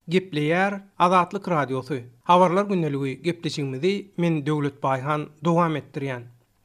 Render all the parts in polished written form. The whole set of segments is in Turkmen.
Gepleýär Azatlyk Radiosy, Habarlar gündeligi gepleşigimizi men Döwlet Baýhan dowam etdirýän.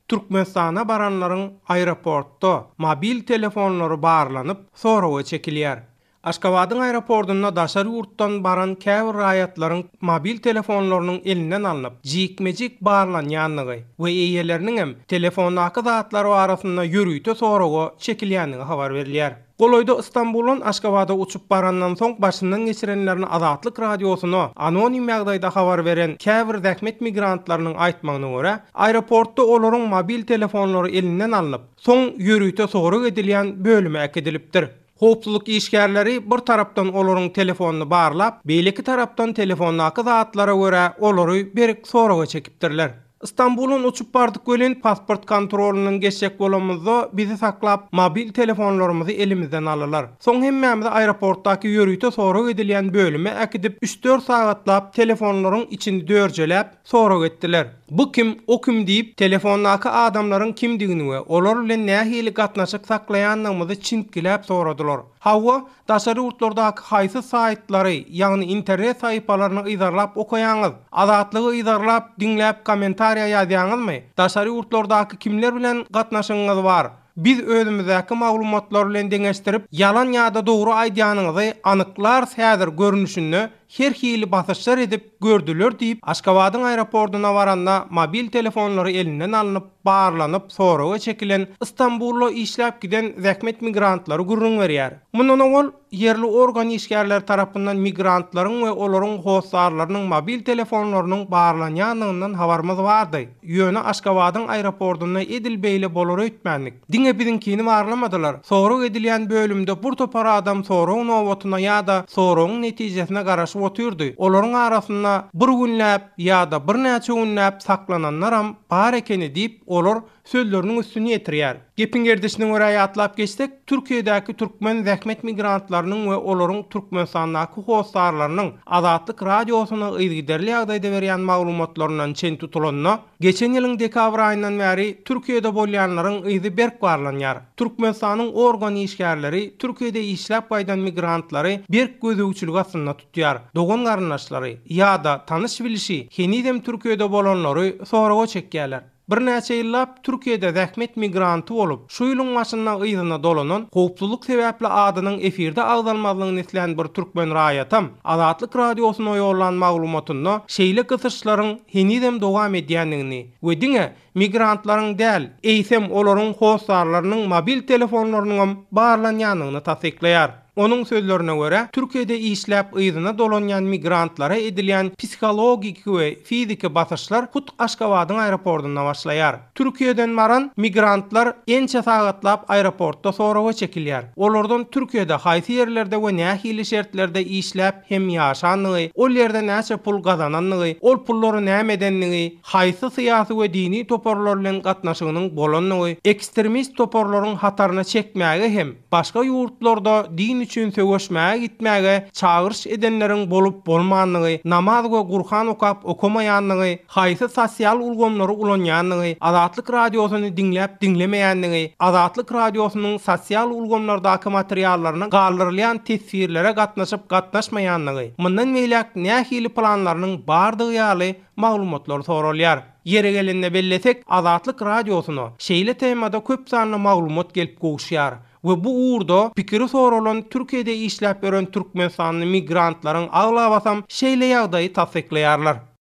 Türkmenistana baranlaryň aeroportda mobil telefonlary barlanyp, soraga çekilýär. Aşgabadyň aeroportunda daşary ýurtdan baran käbir raýatlaryň mobil telefonlarynyň elinden alnyp, jikme-jik barlanýandygy we eýeleriniňem telefondaky zatlar barasynda ýörite soraga çekilýändigi habar berilýär. Golaýda Stambuldan Aşgabada uçup barandan soň başyndan geçirenlerini Azatlyk Radiosyna anonim ýagdaýda habar beren käbir zähmet migrantlarynyň aýtmagyna görä, aeroportda olaryň mobil telefonlary elinden alnyp, soň ýörite sorag edilýän bölüme äkidilipdir. Howpsuzlyk işgärleri bir tarapdan olaryň telefonyny barlap, beýleki tarapdan telefondaky zatlara görä olary berk soraga çekipdirler. Stambuldan uçup bardyk welin, pasport kontrolyndan geçjek bolamyzda bizi saklap, mobil telefonlarymyzy elimizden aldylar. Soň hemmämizi aeroportdaky ýörite sorag edilýän bölüme äkidip, üç-dört sagatlap telefonlaryň içini dörjeläp, sorag etdiler. Bu kim, o kim diýip, telefondaky adamlaryň kimdigini we olar bilen nähili gatnaşyk saklaýandygymyzy çintgiläp soradylar. Hawa, daşary ýurtlardaky haýsy saýtlary, ýagny internet sahypalaryny yzarlap okaýaňyz? Azatlygy yzarlap, diňläp kommentariýa ýazýaňyzmy? Daşary ýurtlardaky kimler bilen gatnaşygyňyz bar? Biz özümizdäki maglumatlar bilen deňeşdirip, ýalan ýa-da dogry aýdýanyňyzy anyklarys häzir görnüşinde her hili basyşlar edip gördüler diýip, Aşgabadyň aeroportuna baranda mobil telefonlary elinden alnyp, barlanyp, soraga çekilen Stambulda işläp giden zähmet migrantlary gürrüň berýär. Mundan owal, ýerli organ işgärleri tarapyndan migrantlaryň we olaryň hossarlarynyň mobil telefonlarynyň barlanýandygyndan habarymyz bardy. Ýöne Aşgabadyň aeroportunda edil beýle bolar öýtmändik. Diňe biziňkini barlamadylar. Sorag edilýän bölümde bir topar adam sorag nobatyna ýa-da soragyň netijesine garaşyp otyrdy. Olaryň arasynda bir günläp ýa-da birnäçe günläp saklananlaram bar ekeni diýip, olar sözleriniň üstüni ýetirýär. Gepiň gerdişine görä ýatlap geçsek, Türkiýedäki türkmen zähmet migrantlarynyň we olaryň Türkmenistandaky hossarlarynyň Azatlyk Radiosyna yzygiderli ýagdaýda berýän maglumatlaryndan çen tutulanda, geçen ýylyň dekabr aýyndan bäri Türkiýede bolýanlaryň yzy berk barlanýar. Türkmenistanyň organ işgärleri Türkiýede işläp gaýdan migrantlary berk gözegçilik astynda tutýar. Dogan-garyndaşlary ýa-da tanyş-bilişi henizem Türkiýede bolanlary soraga çekýärler. Birnäçe ýyllap Türkiýede zähmet migranty bolup, şu ýylyň başynda yzyna dolanan, howpsuzlyk sebäpli adynyň efirde agzalmazlygyny islän bir türkmen raýatam Azatlyk Radiosyna ýollan maglumatynda şeýle gysyşlaryň henizem dowam edýändigini we diňe migrantlaryň däl, eýsem olaryň hossarlarynyň mobil telefonlarynyňam barlanýandygyny tassyklaýar. Onuň sözlerine görä, Türkiýede işläp yzyna dolanýan migrantlara edilýän psihologiki we fiziki basyşlar hut Aşgabadyň aeroportynda başlaýar. Türkiýeden baran migrantlar ençe sagatlap aeroportda soraga çekilýär. Olardan Türkiýede haýsy ýerlerde we nähili şertlerde işläp hem ýaşandygy, ol ýerde näçe pul gazanandygy, ol pullary näme edendigi, haýsy syýasy we dini toparlar bilen gatnaşygynyň bolandygy, ekstremist toparlaryň hataryna çekmäge hem başga ýurtlarda din üçin söweşmäge gitmäge çagyryş edenleriň bolup-bolmandygy, namaz we Gurhan okap okamaýandygy, haýsy sosial ulgamlary ulanýandygy, Azatlyk Radiosyny diňläp-diňlemeýändigi, Azatlyk Radiosynyň sosial ulgamlardaky materiallaryna galdyrylýan teswirlere gatnaşyp-gatnaşmaýandygy, mundan beýläk nähili planlarynyň bardygy ýaly maglumatlar soralýar. Ýeri gelende bellesek, Azatlyk Radiosyna şeýle temada köp sanly maglumat gelip gowuşýar we bu ugurda pikiri soralan Türkiýede işläp ýören türkmenistanly migrantlaryň aglabasam şeýle ýagdaýy tassyklaýarlar.